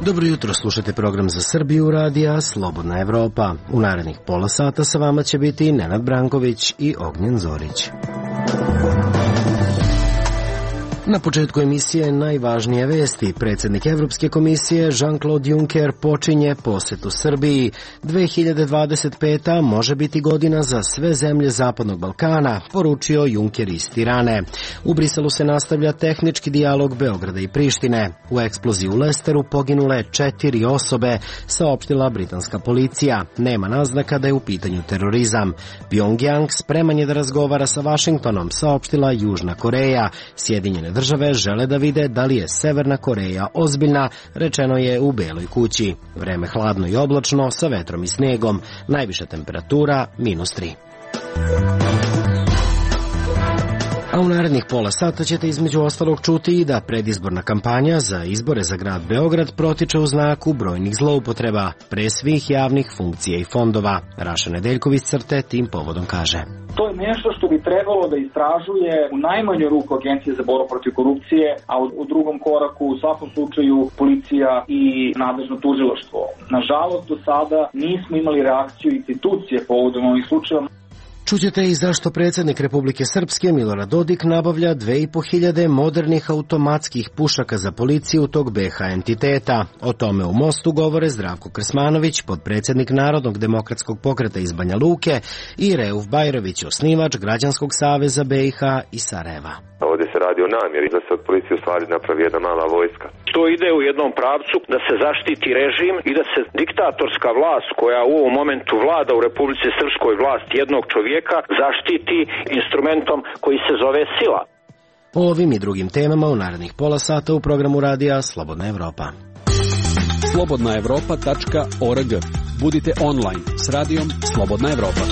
Dobro jutro, slušate program za Srbiju radija Slobodna Evropa. U narednih pola sata sa vama će biti Nenad Branković i Ognjen Zorić. Na početku emisije najvažnije vesti. Predsjednik Evropske komisije Jean-Claude Juncker počinje posetu Srbiji. 2025. može biti godina za sve zemlje Zapadnog Balkana, poručio Juncker iz Tirane. U Briselu se nastavlja tehnički dijalog Beograda i Prištine. U eksploziji u Lesteru poginule 4 osobe, saopštila britanska policija. Nema naznaka da je u pitanju terorizam. Pyongyang spreman je da razgovara sa Vašingtonom, saopštila Južna Koreja. Sjedinjene države žele da vide da li je Severna Koreja ozbiljna, rečeno je u Beloj kući. Vreme hladno i oblačno sa vetrom i snegom. Najviša temperatura -3. A u narednih pola sata ćete između ostalog čuti i da predizborna kampanja za izbore za grad Beograd protiče u znaku brojnih zloupotreba, pre svih javnih funkcija i fondova. Raša Nedeljković CRTE tim povodom kaže: To je nešto što bi trebalo da istražuje u najmanju ruku Agencija za borbu protiv korupcije, a u drugom koraku u svakom slučaju policija i nadležno tužilaštvo. Nažalost, do sada nismo imali reakciju institucije povodom ovih slučajeva. Čućete i zašto predsjednik Republike Srpske Milorad Dodik nabavlja 2500 modernih automatskih pušaka za policiju tog BH entiteta. O tome u Mostu govore Zdravko Krsmanović, podpredsjednik Narodnog demokratskog pokreta iz Banja Luke, i Reuf Bajrović, osnivač Građanskog saveza BiH i Sarajeva. Ovdje se radi o namjeri da se od policije u stvari napravi jedna mala vojska. To ide u jednom pravcu da se zaštiti režim i da se diktatorska vlast koja u ovom momentu vlada u Republici Srpskoj, vlast jednog čovjeka, zaštiti instrumentom koji se zove sila. O ovim i drugim temama u narednih pola sata u programu radija Slobodna Evropa. slobodnaevropa.org. Budite online s radijom Slobodna Evropa.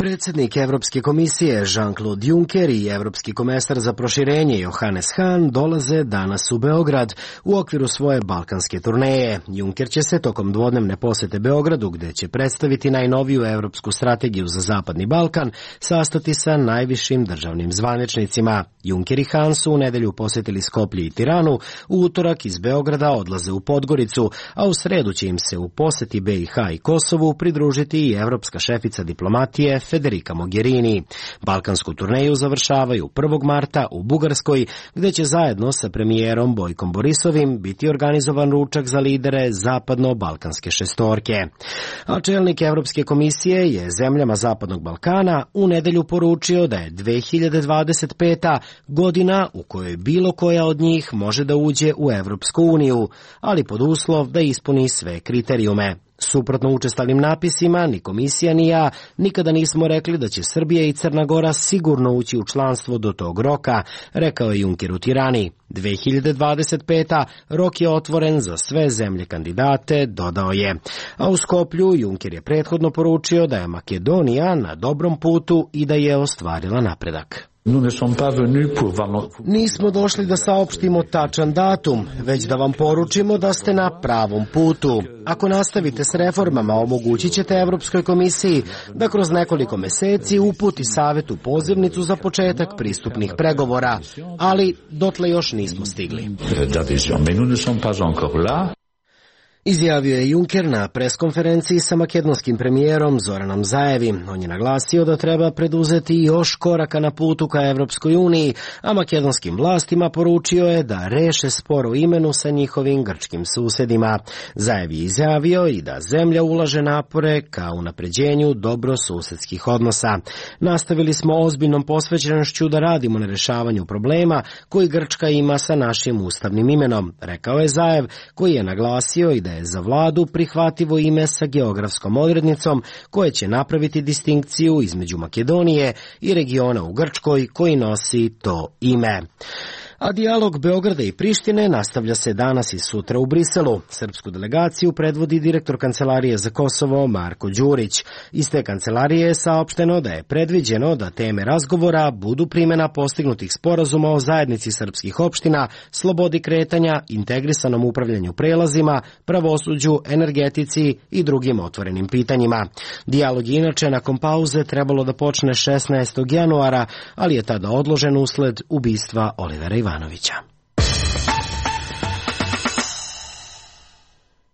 Predsjednik Evropske komisije Jean-Claude Juncker i evropski komesar za proširenje Johannes Hahn dolaze danas u Beograd u okviru svoje balkanske turneje. Juncker će se tokom dvodnevne posete Beogradu, gde će predstaviti najnoviju evropsku strategiju za Zapadni Balkan, sastati sa najvišim državnim zvaničnicima. Juncker i Hahn su u nedelju posjetili Skoplje i Tiranu, u utorak iz Beograda odlaze u Podgoricu, a u sredu će im se u poseti BiH i Kosovu pridružiti i evropska šefica diplomatije Federica Mogherini. Balkansku turneju završavaju 1. marta u Bugarskoj, gde će zajedno sa premijerom Bojkom Borisovim biti organizovan ručak za lidere zapadno-balkanske šestorke. A čelnik Evropske komisije je zemljama Zapadnog Balkana u nedelju poručio da je 2025. godina u kojoj bilo koja od njih može da uđe u Evropsku uniju, ali pod uslov da ispuni sve kriterijume. Suprotno učestalim napisima, ni komisija ni ja nikada nismo rekli da će Srbija i Crna Gora sigurno ući u članstvo do tog roka, rekao je Juncker u Tirani. 2025. rok je otvoren za sve zemlje kandidate, dodao je. A u Skoplju Juncker je prethodno poručio da je Makedonija na dobrom putu i da je ostvarila napredak. Nismo došli da saopštimo tačan datum, već da vam poručimo da ste na pravom putu. Ako nastavite s reformama, omogućit ćete Evropskoj komisiji da kroz nekoliko meseci uputi Savetu pozivnicu za početak pristupnih pregovora, ali dotle još nismo stigli. Izjavio je Juncker na preskonferenciji sa makedonskim premijerom Zoranom Zaevim. On je naglasio da treba preduzeti još koraka na putu ka Evropskoj uniji, a makedonskim vlastima poručio je da reše spor o imenu sa njihovim grčkim susedima. Zaev je izjavio i da zemlja ulaže napore ka unapređenju dobrosusedskih odnosa. Nastavili smo ozbiljnom posvećenošću da radimo na rešavanju problema koji Grčka ima sa našim ustavnim imenom, rekao je Zaev, koji je naglasio i da je za vladu prihvativo ime sa geografskom odrednicom koje će napraviti distinkciju između Makedonije i regiona u Grčkoj koji nosi to ime. A dijalog Beograda i Prištine nastavlja se danas i sutra u Briselu. Srpsku delegaciju predvodi direktor Kancelarije za Kosovo Marko Đurić. Iz te kancelarije je saopšteno da je predviđeno da teme razgovora budu primjena postignutih sporazuma o zajednici srpskih opština, slobodi kretanja, integrisanom upravljanju prelazima, pravosuđu, energetici i drugim otvorenim pitanjima. Dijalog je inače nakon pauze trebalo da počne 16. januara, ali je tada odložen usled ubistva Olivera Ivanovića.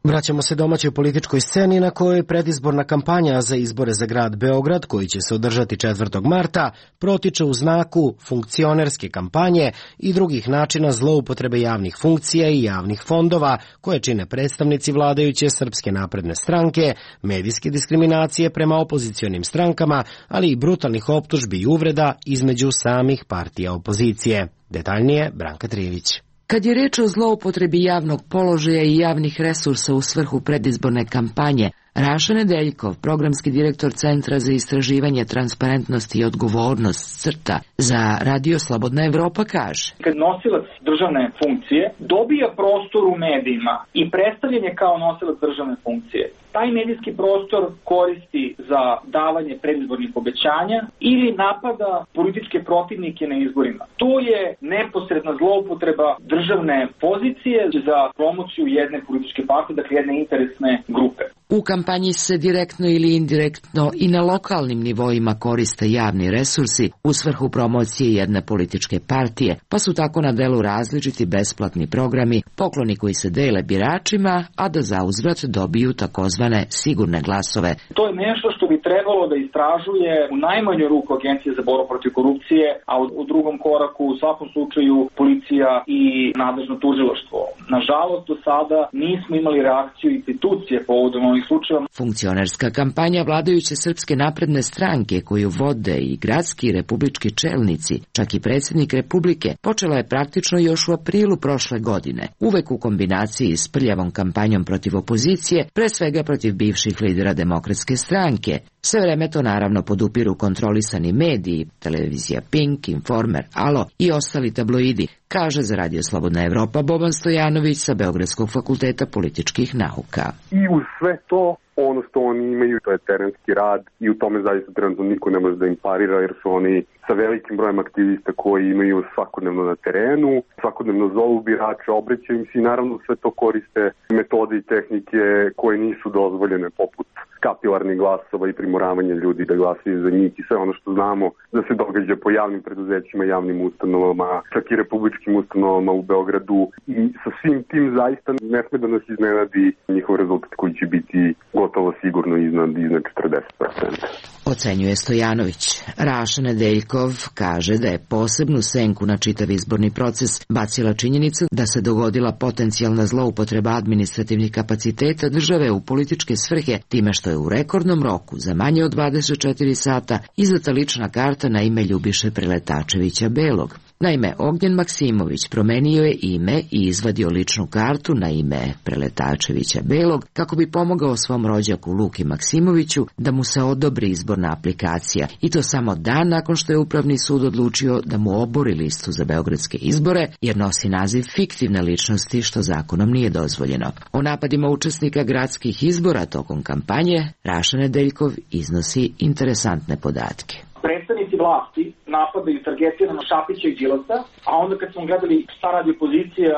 Vraćamo se domaćoj političkoj sceni na kojoj predizborna kampanja za izbore za grad Beograd, koji će se održati 4. marta, protiče u znaku funkcionerske kampanje i drugih načina zloupotrebe javnih funkcija i javnih fondova koje čine predstavnici vladajuće Srpske napredne stranke, medijske diskriminacije prema opozicionim strankama, ali i brutalnih optužbi i uvreda između samih partija opozicije. Detaljnije Branka Trivić. Kad je reč o zloupotrebi javnog položaja i javnih resursa u svrhu predizborne kampanje, Raša Nedeljkov, programski direktor Centra za istraživanje transparentnosti i odgovornost CRTA za Radio Slobodna Evropa, kaže: Kad nosilac državne funkcije dobija prostor u medijima i predstavljen je kao nosilac državne funkcije, taj medijski prostor koristi za davanje predizbornih obećanja ili napada političke protivnike na izborima. To je neposredna zloupotreba državne pozicije za promociju jedne političke partije, dakle jedne interesne grupe. U kampanji se direktno ili indirektno i na lokalnim nivoima koriste javni resursi u svrhu promocije jedne političke partije, pa su tako na delu različiti besplatni programi, pokloni koji se dele biračima, a da zauzvrat dobiju takozvane sigurne glasove. To je nešto što bi trebalo da istražuje u najmanju ruku Agencija za borbu protiv korupcije, a u drugom koraku u svakom slučaju policija i nadležno tužilaštvo. Nažalost, do sada nismo imali reakciju institucije povodom ovih slučajeva. Funkcionerska kampanja vladajuće Srpske napredne stranke, koju vode i gradski i republički čelnici, čak i predsjednik Republike, počela je praktično još u aprilu prošle godine, uvek u kombinaciji s prljavom kampanjom protiv opozicije, pre svega protiv bivših lidera Demokratske stranke. Sve vreme to naravno podupiru kontrolisani mediji, televizija Pink, Informer, Alo i ostali tabloidi, kaže za Radio Slobodna Evropa Boban Stojanović sa Beogradskog fakulteta političkih nauka. I uz sve to, ono što oni imaju, to je terenski rad i u tome zaista trenutno niko ne može da im parira, jer su oni sa velikim brojem aktivista koji imaju svakodnevno na terenu, svakodnevno zovu birače, obraćaju im se i naravno sve to koriste metode i tehnike koje nisu dozvoljene, poput kapilarnih glasova i primoravanja ljudi da glasaju za njih i sve ono što znamo da se događa po javnim preduzećima, javnim ustanovama, čak i republičkim ustanovama u Beogradu. I sa svim tim zaista ne sme da nas iznenadi njihov rezultat koji će biti gotovo sigurno iznad 40%. Ocenjuje Stojanović. Raša Nedeljkov kaže da je posebnu senku na čitav izborni proces bacila činjenica da se dogodila potencijalna zloupotreba administrativnih kapaciteta države u političke svrhe, time što je u rekordnom roku za manje od 24 sata izdata lična karta na ime Ljubiše Preletačevića Belog. Naime, Ognjen Maksimović promenio je ime i izvadio ličnu kartu na ime Preletačevića Belog kako bi pomogao svom rođaku Luki Maksimoviću da mu se odobri izborna aplikacija, i to samo dan nakon što je Upravni sud odlučio da mu obori listu za beogradske izbore jer nosi naziv fiktivne ličnosti, što zakonom nije dozvoljeno. O napadima učesnika gradskih izbora tokom kampanje Raša Nedeljkov iznosi interesantne podatke. Predstavnici vlasti napadaju targetirano Šapića i Đilasa, a onda kad smo gledali šta radi opozicija,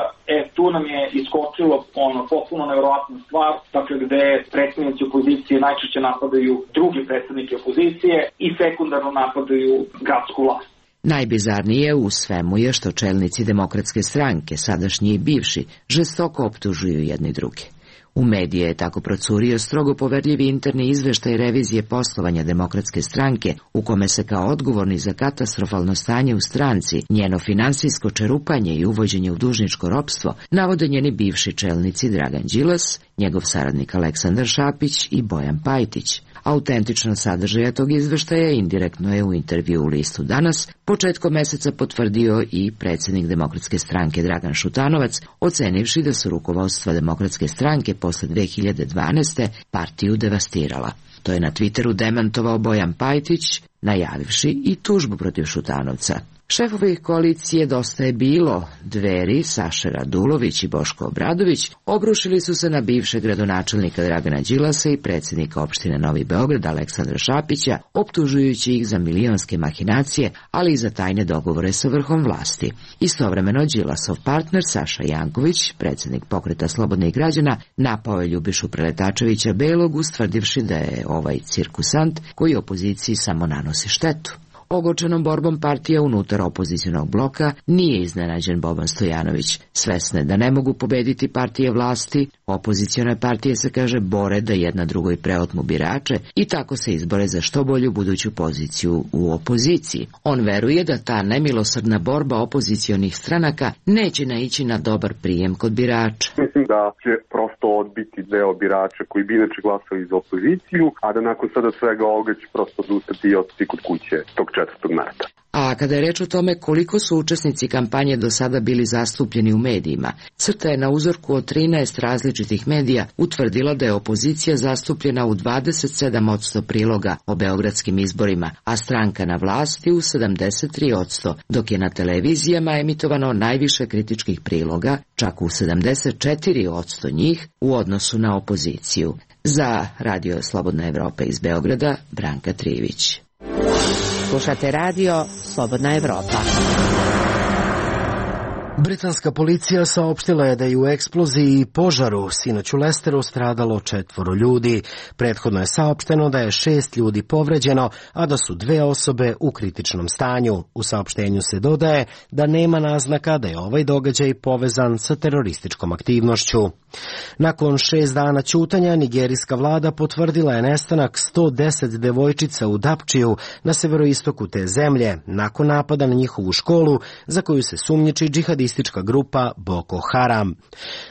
tu nam je iskočilo potpuno nevjerovatna stvar, dakle gde predstavnici opozicije najčešće napadaju drugi predstavnike opozicije i sekundarno napadaju gradsku vlast. Najbizarnije u svemu je što čelnici Demokratske stranke, sadašnji i bivši, žestoko optužuju jedni druge. U medije je tako procurio strogo poverljivi interni izveštaj revizije poslovanja Demokratske stranke, u kome se kao odgovorni za katastrofalno stanje u stranci, njeno finansijsko čerupanje i uvođenje u dužničko ropstvo navode njeni bivši čelnici Dragan Đilas, njegov saradnik Aleksandar Šapić i Bojan Pajtić. Autentičnost sadržaja tog izveštaja indirektno je u intervju u listu Danas početkom meseca potvrdio i predsjednik Demokratske stranke Dragan Šutanovac, ocenivši da su rukovodstva Demokratske stranke posle 2012. partiju devastirala. To je na Twitteru demantovao Bojan Pajtić, najavivši i tužbu protiv Šutanovca. Šefovi koalicije Dosta je bilo, Dveri, Saša Radulović i Boško Obradović, obrušili su se na bivšeg gradonačelnika Dragana Đilasa i predsjednika opštine Novi Beograd Aleksandra Šapića, optužujući ih za milionske mahinacije, ali i za tajne dogovore sa vrhom vlasti. Istovremeno Đilasov partner Saša Janković, predsjednik Pokreta slobodnih građana, napao je Ljubišu Preletačevića Belog, ustvrdivši da je ovaj cirkusant koji opoziciji samo nanosi štetu. Ogorčenom borbom partija unutar opozicionog bloka nije iznenađen Boban Stojanović. Svesne da ne mogu pobediti partije vlasti, opozicione partije se, kaže, bore da jedna drugoj preotmu birače i tako se izbore za što bolju buduću poziciju u opoziciji. On veruje da ta nemilosrdna borba opozicionih stranaka neće naići na dobar prijem kod birača. Mislim da će prosto odbiti deo birača koji bi inače glasali za opoziciju, a da nakon sada svega ovoga će prosto odustati i otići kod kuće tog 4. marta. A kada je reč o tome koliko su učesnici kampanje do sada bili zastupljeni u medijima, CRTA je na uzorku od 13 različitih medija utvrdila da je opozicija zastupljena u 27% priloga o beogradskim izborima, a stranka na vlasti u 73%, dok je na televizijama emitovano najviše kritičkih priloga, čak u 74% njih u odnosu na opoziciju. Za Radio Slobodna Evropa iz Beograda, Branka Trivić. Slušate radio Slobodna Evropa. Britanska policija saopštila je da je u eksploziji i požaru sinoć u Lesteru stradalo 4 ljudi. Prethodno je saopšteno da je 6 ljudi povređeno, a da su 2 osobe u kritičnom stanju. U saopštenju se dodaje da nema naznaka da je ovaj događaj povezan sa terorističkom aktivnošću. Nakon 6 dana ćutanja, nigerijska vlada potvrdila je nestanak 110 devojčica u Dapčiju na severoistoku te zemlje, nakon napada na njihovu školu za koju se sumnjiči džihadistička grupa Boko Haram.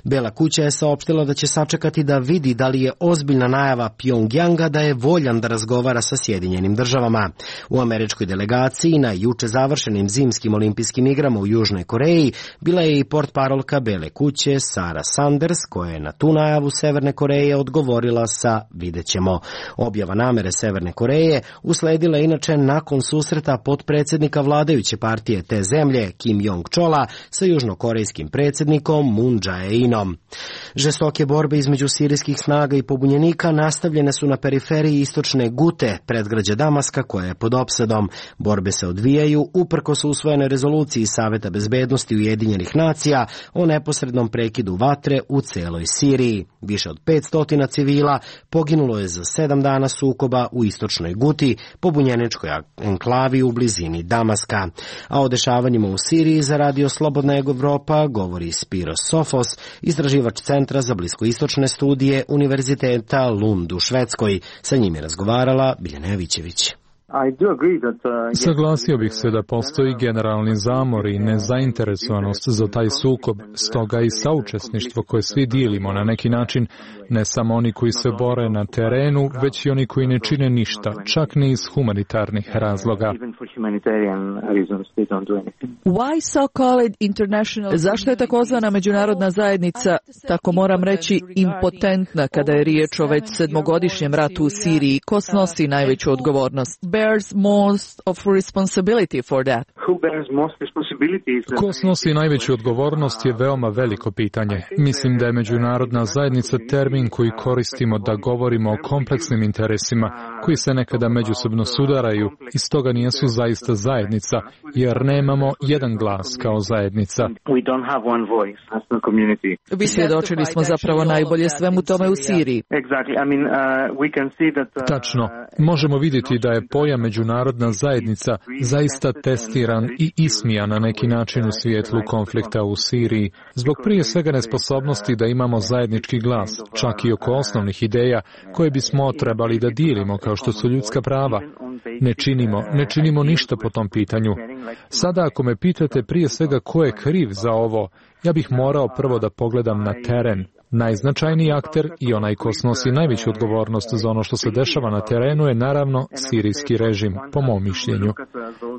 Bela kuća je saopštila da će sačekati da vidi da li je ozbiljna najava Pjongjanga da je voljan da razgovara sa Sjedinjenim državama. U američkoj delegaciji na juče završenim zimskim olimpijskim igrama u Južnoj Koreji bila je i portparolka Bele kuće Sarah Sanders, koja je na tu najavu Severne Koreje odgovorila sa videćemo. Objava namere Severne Koreje usledila inače nakon susreta potpredsjednika vladajuće partije te zemlje Kim Jong-chola sa južnokorejskim predsjednikom Moon Jae-inom. Žestoke borbe između sirijskih snaga i pobunjenika nastavljene su na periferiji istočne Gute, predgrađa Damaska, koja je pod opsadom. Borbe se odvijaju uprkos usvojenoj rezoluciji Saveta bezbednosti Ujedinjenih nacija o neposrednom prekidu vatre u celoj Siriji. Više od 500 civila poginulo je za 7 dana sukoba u istočnoj Guti, pobunjeničkoj enklavi u blizini Damaska. A o dešavanjima u Siriji za Radio Slobodna Evropa govori Spiros Sofos, istraživač Centra za bliskoistočne studije Univerziteta Lund u Švedskoj. Sa njim je razgovarala Biljana Jovićević. Saglasio bih se da postoji generalni zamor i nezainteresovanost za taj sukob, stoga i saučesništvo koje svi dijelimo na neki način, ne samo oni koji se bore na terenu, već i oni koji ne čine ništa, čak ni iz humanitarnih razloga. Zašto je takozvana međunarodna zajednica, tako moram reći, impotentna kada je riječ o već 7-godišnjem ratu u Siriji? Ko snosi najveću odgovornost? Bears most of responsibility for that? Ko snosi najveću odgovornost je veoma veliko pitanje. Mislim da je međunarodna zajednica termin koji koristimo da govorimo o kompleksnim interesima koji se nekada međusobno sudaraju i stoga nijesu zaista zajednica, jer nemamo jedan glas kao zajednica. Svjedočili smo zapravo najbolje svemu tome u Siriji. Tačno. Možemo vidjeti da je pojam međunarodna zajednica zaista testiran i ismijan na neki način u svijetlu konflikta u Siriji, zbog prije svega nesposobnosti da imamo zajednički glas, čak i oko osnovnih ideja koje bismo trebali da dijelimo, kao što su ljudska prava. Ne činimo ništa po tom pitanju. Sada ako me pitate prije svega ko je kriv za ovo, ja bih morao prvo da pogledam na teren. Najznačajniji akter i onaj ko snosi najveću odgovornost za ono što se dešava na terenu je naravno sirijski režim, po mom mišljenju.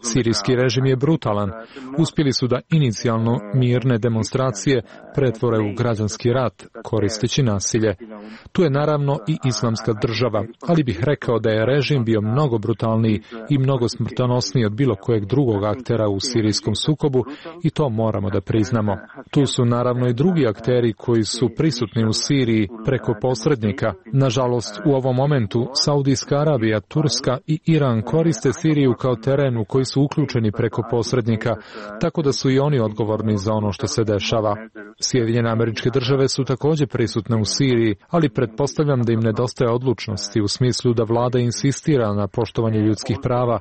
Sirijski režim je brutalan. Uspjeli su da inicijalno mirne demonstracije pretvore u građanski rat, koristeći nasilje. Tu je naravno i islamska država, ali bih rekao da je režim bio mnogo brutalniji i mnogo smrtonosniji od bilo kojeg drugog aktera u sirijskom sukobu i to moramo da priznamo. Tu su naravno i drugi akteri koji su prisutni u Siriji preko posrednika. Nažalost, u ovom momentu Saudijska Arabija, Turska i Iran koriste Siriju kao teren u koji su uključeni preko posrednika, tako da su i oni odgovorni za ono što se dešava. Sjedinjene Američke Države su također prisutne u Siriji, ali pretpostavljam da im nedostaje odlučnosti u smislu da vlada insistira na poštovanje ljudskih prava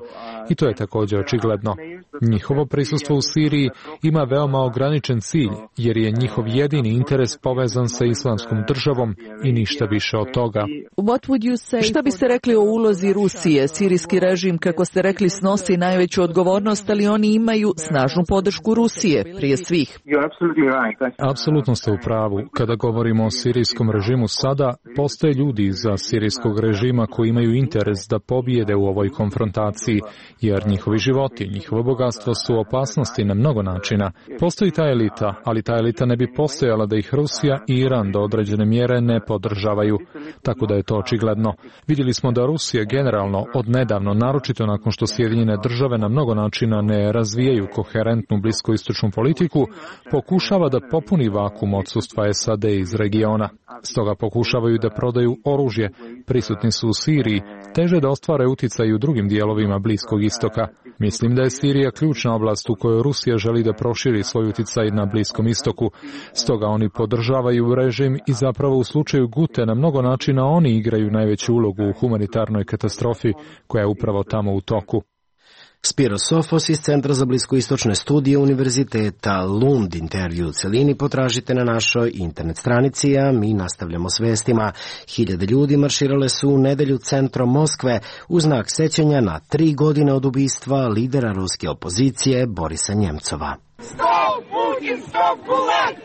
i to je također očigledno. Njihovo prisustvo u Siriji ima veoma ograničen cilj, jer je njihov jedini interes povezan sa Islamskom državom i ništa više od toga. Šta biste rekli o ulozi Rusije? Sirijski režim, kako ste rekli, snosi najveću odgovornost, ali oni imaju snažnu podršku Rusije, prije svih. Apsolutno ste u pravu. Kada govorimo o sirijskom režimu sada, postoje ljudi iza sirijskog režima koji imaju interes da pobijede u ovoj konfrontaciji, jer njihovi životi, njihovo bogatstvo su u opasnosti na mnogo načina. Postoji ta elita, ali ta elita ne bi postojala da ih Rusija i Iran do određene mjere ne podržavaju. Tako da je to očigledno. Vidjeli smo da Rusija generalno odnedavno, naročito nakon što Sjedinjene Države na mnogo načina ne razvijaju koherentnu bliskoistočnu politiku, pokušava da popuni vakuum odsustva SAD iz regiona. Stoga pokušavaju da prodaju oružje, prisutni su u Siriji, teže da ostvare uticaj u drugim dijelovima Bliskog istoka. Mislim da je Sirija ključna oblast u kojoj Rusija želi da proširi svoj uticaj na Bliskom istoku. Stoga oni podržavaju režim i zapravo u slučaju Gute na mnogo načina oni igraju najveću ulogu u humanitarnoj katastrofi koja je upravo tamo u toku. Spiro Sofos iz Centra za bliskoistočne studije Univerziteta Lund. Intervju u celini potražite na našoj internet stranici, a mi nastavljamo s vestima. Hiljade ljudi marširale su u nedelju centrom Moskve u znak sećanja na 3 godine od ubistva lidera ruske opozicije Borisa Njemcova. Stop Putin, stop Gulag!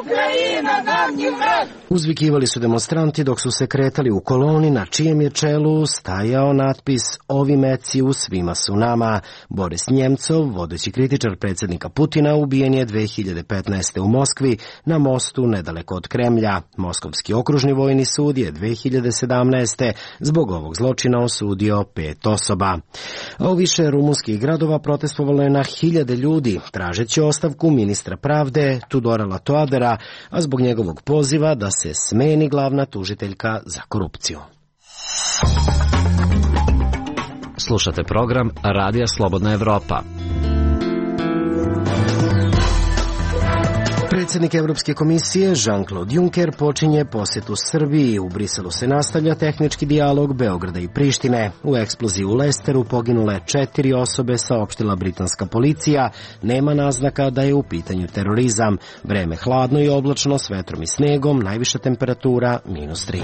Ukrajina nam nije vrat! Uzvikivali su demonstranti dok su se kretali u koloni na čijem je čelu stajao natpis "Ovi meci u svima su nama". Boris Njemcov, vodeći kritičar predsjednika Putina, ubijen je 2015. u Moskvi na mostu nedaleko od Kremlja. Moskovski okružni vojni sud je 2017. zbog ovog zločina osudio 5 osoba. A u više rumunskih gradova protestovalo je na hiljade ljudi, tražeći ostavku ministra pravde Tudora Latoadera, a zbog njegovog poziva da se smeni glavna tužiteljka za korupciju. Slušate program Radija Slobodna Evropa. Predsjednik Evropske komisije Jean-Claude Juncker počinje posjetu Srbiji. U Briselu se nastavlja tehnički dijalog Beograda i Prištine. U eksploziji u Lesteru poginule 4 osobe, saopštila britanska policija. Nema naznaka da je u pitanju terorizam. Vreme hladno i oblačno s vetrom i snegom, najviša temperatura -3.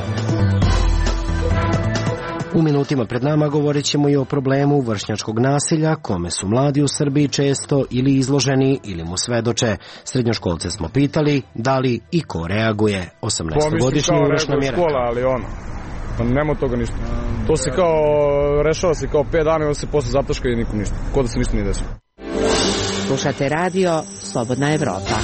U minutima pred nama govorit ćemo i o problemu vršnjačkog nasilja, kome su mladi u Srbiji često ili izloženi ili mu svedoče. Srednjoškolce smo pitali da li i ko reaguje. 18-godišnji Uroš nam je rekao. Ali nema toga ništa. To se kao rešava se kao 5 dana i on se posle zataška i nikom ništa. Ko da se ništa nije desilo. Slušate radio Slobodna Evropa.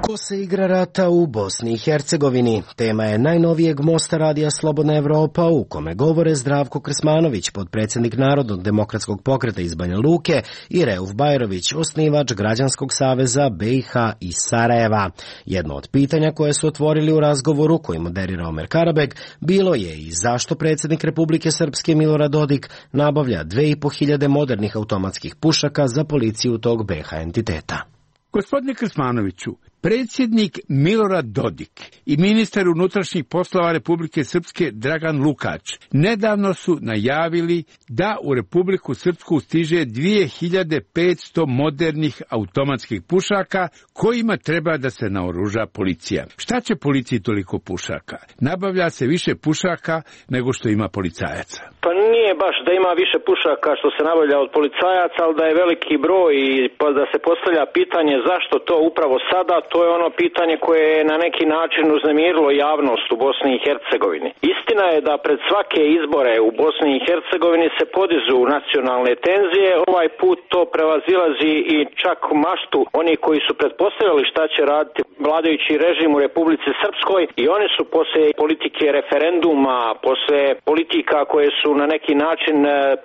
Ko se igra rata u Bosni i Hercegovini? Tema je najnovijeg mosta radija Slobodna Evropa, u kome govore Zdravko Krsmanović, potpredsjednik Narodnog demokratskog pokreta iz Banja Luke, i Reuf Bajrović, osnivač Građanskog saveza BiH iz Sarajeva. Jedno od pitanja koje su otvorili u razgovoru koji moderira Omer Karabek bilo je i zašto predsjednik Republike Srpske Milorad Dodik nabavlja 2500 modernih automatskih pušaka za policiju tog BiH entiteta. Gospodine Krsmanoviću, predsjednik Milorad Dodik i ministar unutrašnjih poslova Republike Srpske Dragan Lukač nedavno su najavili da u Republiku Srpsku stiže 2500 modernih automatskih pušaka kojima treba da se naoruža policija. Šta će policiji toliko pušaka? Nabavlja se više pušaka nego što ima policajaca. Pa nije baš da ima više pušaka što se nabavlja od policajaca, ali da je veliki broj i da se postavlja pitanje zašto to upravo sada, to je ono pitanje koje je na neki način uznemirilo javnost u Bosni i Hercegovini. Istina je da pred svake izbore u Bosni i Hercegovini se podižu nacionalne tenzije, ovaj put to prevazilazi i čak maštu oni koji su pretpostavljali šta će raditi vladajući režim u Republici Srpskoj, i oni su posle politike referenduma, posle politika koje su na neki način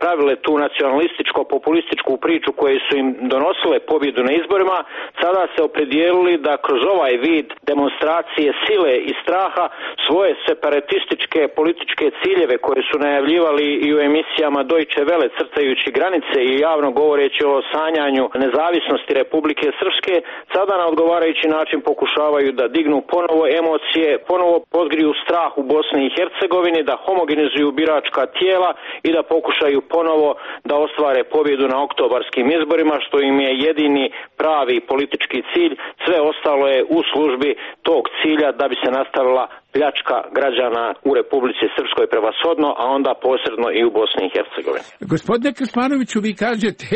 pravile tu nacionalističko-populističku priču koje su im donosile pobjedu na izborima, sada se opredijelili da kroz ovaj vid demonstracije sile i straha svoje separatističke političke ciljeve koje su najavljivali i u emisijama Deutsche Welle crtajući granice i javno govoreći o sanjanju nezavisnosti Republike Srpske, sada na odgovarajući način pokušavaju da dignu ponovo emocije, ponovo podgriju strah u Bosni i Hercegovini, da homogenizuju biračka tijela i da pokušaju ponovo da ostvare pobjedu na oktobarskim izborima, što im je jedini pravi politički cilj. Sve ostalo je u službi tog cilja da bi se nastavila pljačka građana u Republici Srpskoj prevashodno, a onda posredno i u Bosni i Hercegovini. Gospodine Krsmanoviću, vi kažete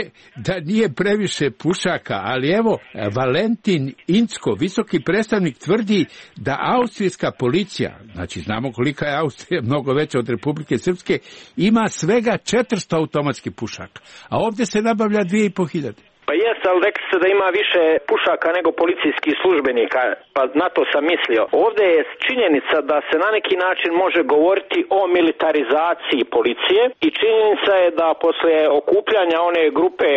da nije previše pušaka, ali evo, Valentin Incko, visoki predstavnik, tvrdi da austrijska policija, znači znamo kolika je Austrija, mnogo veća od Republike Srpske, ima svega 400 automatskih pušaka, a ovdje se nabavlja 2500. Pa jest, ali rekli ste da ima više pušaka nego policijskih službenika, pa na to sam mislio. Ovdje je činjenica da se na neki način može govoriti o militarizaciji policije i činjenica je da poslije okupljanja one grupe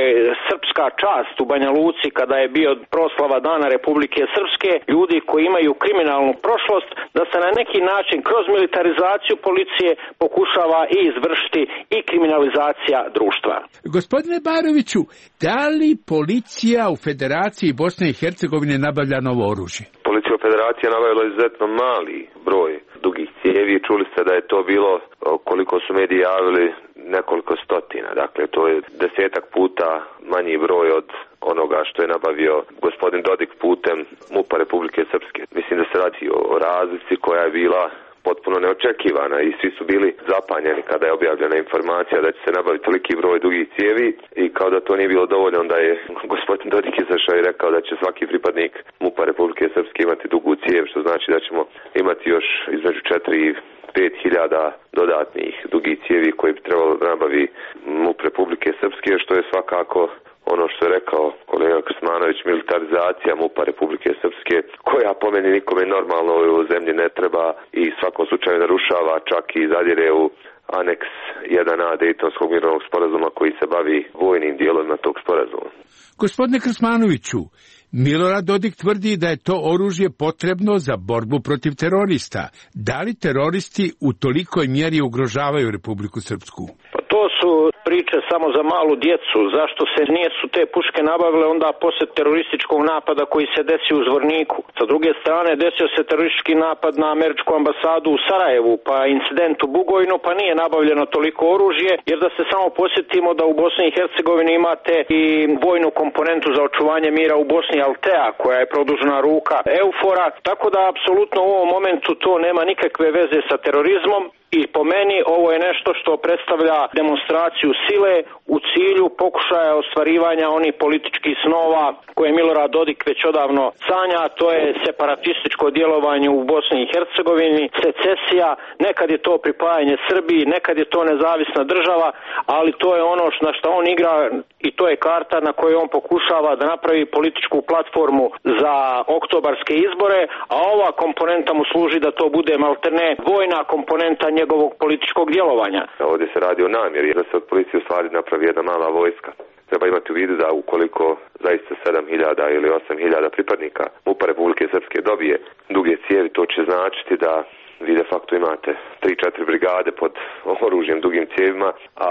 Srpska čast u Banja Luci kada je bio proslava Dana Republike Srpske, ljudi koji imaju kriminalnu prošlost, da se na neki način kroz militarizaciju policije pokušava i izvršiti i kriminalizacija društva. Gospodine Baroviću, da li policija u Federaciji Bosne i Hercegovine nabavlja novo oružje? Policija u Federaciji je nabavila izuzetno mali broj dugih cijevi. Čuli ste da je to bilo, koliko su mediji javili, nekoliko stotina. Dakle, to je 10 puta manji broj od onoga što je nabavio gospodin Dodik putem MUP-a Republike Srpske. Mislim da se radi o razlici koja je bila potpuno neočekivana i svi su bili zapanjeni kada je objavljena informacija da će se nabaviti toliki broj dugih cijevi i kao da to nije bilo dovoljno, onda je gospodin Dodik izašao i rekao da će svaki pripadnik MUP-a Republike Srpske imati dugu cijev, što znači da ćemo imati još između 4 i 5.000 dodatnih dugih cijevi koji bi trebalo da nabavi MUP Republike Srpske, što je svakako ono što je rekao kolega Krsmanović, militarizacija MUP-a Republike Srpske, koja po meni nikome normalno u zemlji ne treba i svakom slučaju narušava, čak i zadire u aneks 1A Dejtonskog mirovnog sporazuma koji se bavi vojnim dijelovima tog sporazuma. Gospodine Krsmanoviću, Milorad Dodik tvrdi da je to oružje potrebno za borbu protiv terorista. Da li teroristi u tolikoj mjeri ugrožavaju Republiku Srpsku? Pa to su priče samo za malu djecu. Zašto se nisu te puške nabavile onda poslije terorističkog napada koji se desio u Zvorniku? Sa druge strane desio se teroristički napad na američku ambasadu u Sarajevu, pa incident u Bugojnu, pa nije nabavljeno toliko oružje, jer da se samo posjetimo da u Bosni i Hercegovini imate i vojnu komponentu za očuvanje mira u Bosni, Altea, koja je produžena ruka Eufora, tako da apsolutno u ovom momentu to nema nikakve veze sa terorizmom. I po meni ovo je nešto što predstavlja demonstraciju sile u cilju pokušaja ostvarivanja onih političkih snova koje Milorad Dodik već odavno sanja, to je separatističko djelovanje u Bosni i Hercegovini, secesija, nekad je to pripajanje Srbiji, nekad je to nezavisna država, ali to je ono na što on igra i to je karta na kojoj on pokušava da napravi političku platformu za oktobarske izbore, a ova komponenta mu služi da to bude malterne vojna komponenta njegovog političkog djelovanja. Ovdje se radi o namjeri da se od policije u stvari napravi jedna mala vojska. Treba imati u vidu da ukoliko zaista 7.000 ili 8.000 pripadnika MUP-a Republike Srpske dobije duge cijevi, to će značiti da vi de facto imate 3-4 brigade pod oružjem dugim cijevima, a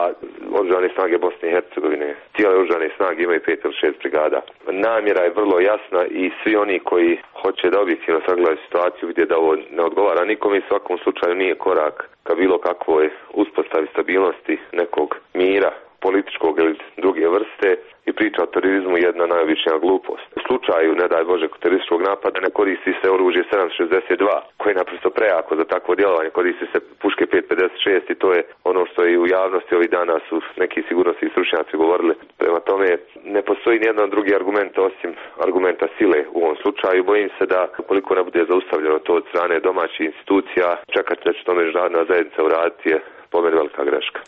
oružane snage Bosne i Hercegovine, cijele oružane snage imaju 5 ili 6 brigada. Namjera je vrlo jasna i svi oni koji hoće da objektivno sagledaju situaciju vide da ovo ne odgovara nikome i svakom slučaju nije korak ka bilo kakvoj uspostavi stabilnosti nekog mira političkog ili druge vrste i priča o terorizmu jedna najobičnija glupost. U slučaju, ne daj Bože, terorističkog napada ne koristi se oružje 7.62 koje je naprosto prejako za takvo djelovanje, koristi se puške 5.56 i to je ono što i u javnosti ovih dana su neki sigurnosni stručnjaci govorili. Prema tome ne postoji nijedan drugi argument osim argumenta sile u ovom slučaju. Bojim se da ukoliko ne bude zaustavljeno to od strane domaćih institucija, čekati da će to međunarodna zajednica uraditi je po meni velika greška.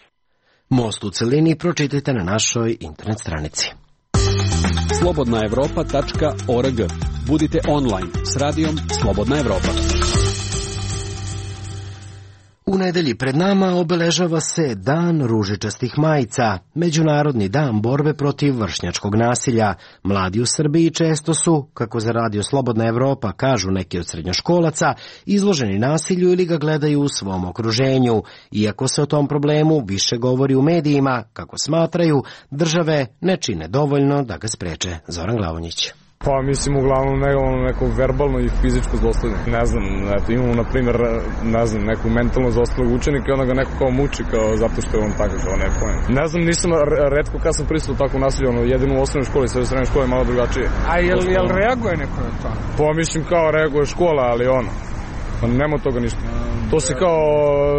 Most u celini pročitajte na našoj internet stranici. slobodnaevropa.org. Budite online s radijom Slobodna Evropa. U nedelji pred nama obeležava se Dan ružičastih majica, Međunarodni dan borbe protiv vršnjačkog nasilja. Mladi u Srbiji često su, kako za Radio Slobodna Evropa kažu neki od srednjoškolaca, izloženi nasilju ili ga gledaju u svom okruženju. Iako se o tom problemu više govori u medijima, kako smatraju, države ne čine dovoljno da ga spreče. Zoran Glavonjić. Pa mislim uglavnom neko verbalno i fizičko zlostavljanje. Ne znam, imamo na primjer, neku mentalno zlostavljog učenika i onda ga neko kao muči zato što je on takav, kao ne pojem. Ne znam, nisam retko kad sam pristao tako nasilje, jedino u osnovnoj školi, sve u srednjoj školi je malo drugačije. A jel reaguje neko na to? Pa mislim kao reaguje škola, ali pa nema toga ništa. To se kao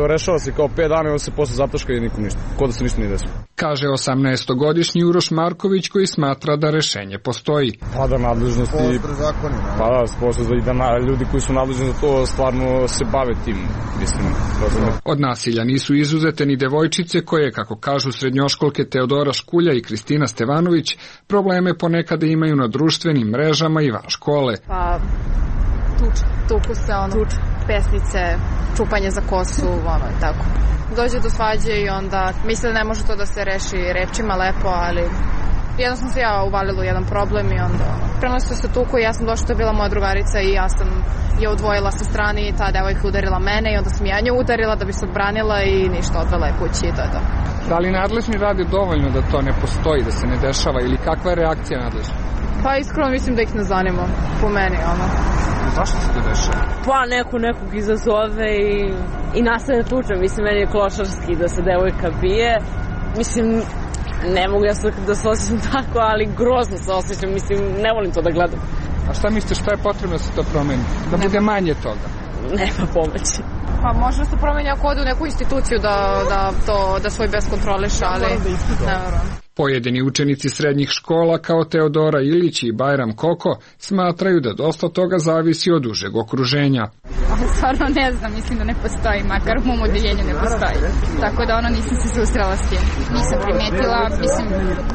rešava se kao 5 dana i on se posle zataška i nikom ništa. Ko da se ništa nije desilo. Kaže 18-godišnji Uroš Marković koji smatra da rešenje postoji. Pa da nadležnosti... Postre zakoni, ne? Pa da, ljudi koji su nadležni za to stvarno se bave tim, mislim. Od nasilja nisu izuzete ni devojčice koje, kako kažu srednjoškolke Teodora Škulja i Kristina Stevanović, probleme ponekada imaju na društvenim mrežama i van škole. Pa... tuku se, pesnice, čupanje za kosu, tako. Dođe do svađe i onda misle da ne može to da se reši rečima lepo, ali jedno sam se ja uvalila u jedan problem i onda prenosio se tuku i ja sam došla, to je bila moja drugarica i ja sam je odvojila sa strane i ta devojka udarila mene i onda sam ja nju udarila da bi se odbranila i ništa, odvela je kući i to je to. Da li nadležni rade dovoljno da to ne postoji, da se ne dešava ili kakva je reakcija nadležna? Pa iskreno mislim da ih ne zanima, po meni, Zašto se to dešava? Pa nekog izazove i nastavne tuče. Mislim, meni je klošarski da se devojka bije. Mislim, ne mogu ja da se osjećam tako, ali grozno se osjećam. Mislim, ne volim to da gledam. A šta mislite, šta je potrebno da se to promeni? Da bude manje toga? Nema pomoći. Pa možda se promeni ako ode u neku instituciju da svoj bes kontroliše, ali ne verujem. Pojedini učenici srednjih škola kao Teodora Ilić i Bajram Koko smatraju da dosta toga zavisi od užeg okruženja. Stvarno ne znam, mislim da ne postoji, makar u mom odeljenju ne postoji. Tako da nisam se susrela s tim. Nisam primetila, mislim,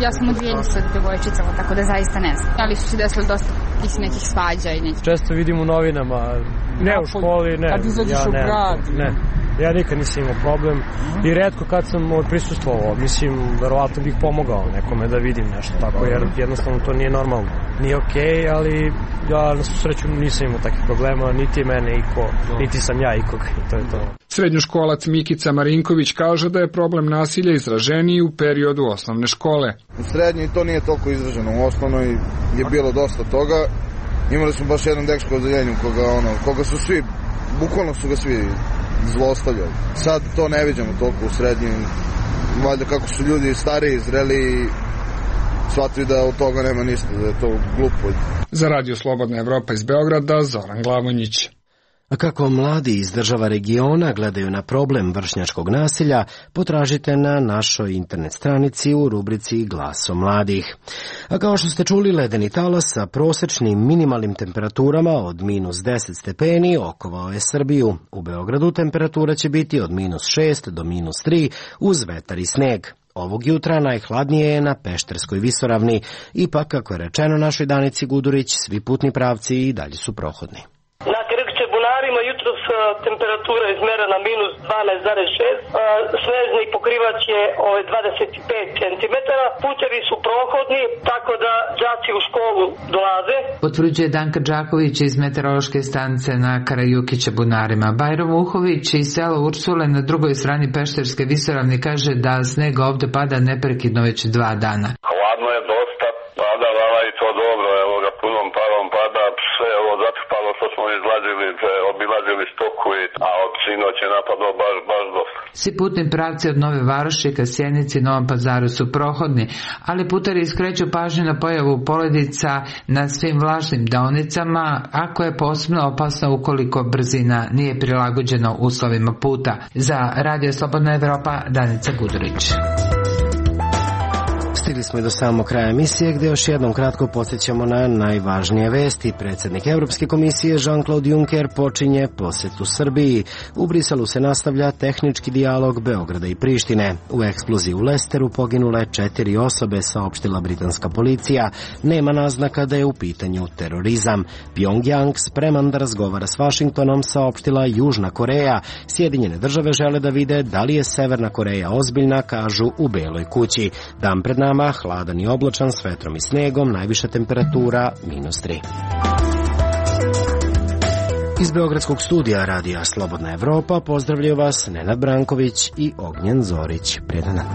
ja sam u odeljenju sa devojčicama, tako da zaista ne znam. Ali su se desili dosta nekih svađa i nekih. Često vidim u novinama, ne u školi, ne. Kad izađeš u grad? Ne. Ja nikad nisam imao problem i retko kad sam prisustvovao, mislim, verovatno bih pomogao nekome da vidim nešto tako, jer jednostavno to nije normalno. Nije okej, ali ja na sreću nisam imao takvih problema, niti mene iko, niti sam ja ikog, i to je to. Srednjoškolac Mikica Marinković kaže da je problem nasilja izraženiji u periodu osnovne škole. U srednjoj to nije toliko izraženo, u osnovnoj je bilo dosta toga. Imali smo baš jedan dečko u odeljenju koga su svi, bukvalno su ga svi zlostavljali. Sad to ne viđamo toliko u srednjim, valjda kako su ljudi stariji, zreli, shvatili da od toga nema ništa, da je to glupo. Za Radio Slobodna Evropa iz Beograda, Zoran Glavonjić. A kako mladi iz država regiona gledaju na problem vršnjačkog nasilja, potražite na našoj internet stranici u rubrici Glaso mladih. A kao što ste čuli, ledeni talas sa prosečnim minimalnim temperaturama od -10 stepeni okovao je Srbiju. U Beogradu temperatura će biti od -6 do -3 uz vetar i sneg. Ovog jutra najhladnije je na Pešterskoj visoravni. Ipak, kako je rečeno našoj Danici Gudurić, svi putni pravci i dalje su prohodni. Bunarima jutros temperatura izmerena -12,6, snežni pokrivač je 25 cm, putevi su prohodni, tako da đaci u školu dolaze. Potvrđuje Danka Đaković iz meteorološke stanice na Karajukića Bunarima. Bajro Vuhović iz sela Ursule na drugoj strani Pešterske visoravni kaže da sneg ovde pada neprekidno već 2 dana. Hladno je dosta, pada i to dobro, evo ga punom parom pada, sve ovo zatrpalo što smo obilazili stoku, a od sinoć je napadlo baš dosta. Svi putni pravci od Nove Varoši ka Sjenici i Novom Pazaru su prohodni, ali putari skreću pažnju na pojavu poledica na svim vlažnim deonicama, ako je posebno opasno ukoliko brzina nije prilagođena uslovima puta. Za Radio Slobodna Evropa, Danica Gudurić. Stigli smo i do samog kraja emisije gdje još jednom kratko podsjećamo na najvažnije vesti. Predsjednik Evropske komisije Jean-Claude Juncker počinje posjetu Srbiji. U Briselu se nastavlja tehnički dijalog Beograda i Prištine. U eksploziji u Lesteru poginule 4 osobe, saopštila britanska policija. Nema naznaka da je u pitanju terorizam. Pyongyang spreman da razgovara s Vašingtonom, saopštila Južna Koreja. Sjedinjene države žele da vide da li je Severna Koreja ozbiljna, kažu u Beloj kući. Dan pred nama hladan i oblačan s vetrom i snegom, najviša temperatura -3. Iz Beogradskog studija Radija Slobodna Evropa pozdravljaju vas Nenad Branković i Ognjen Zorić. Prijetan dan.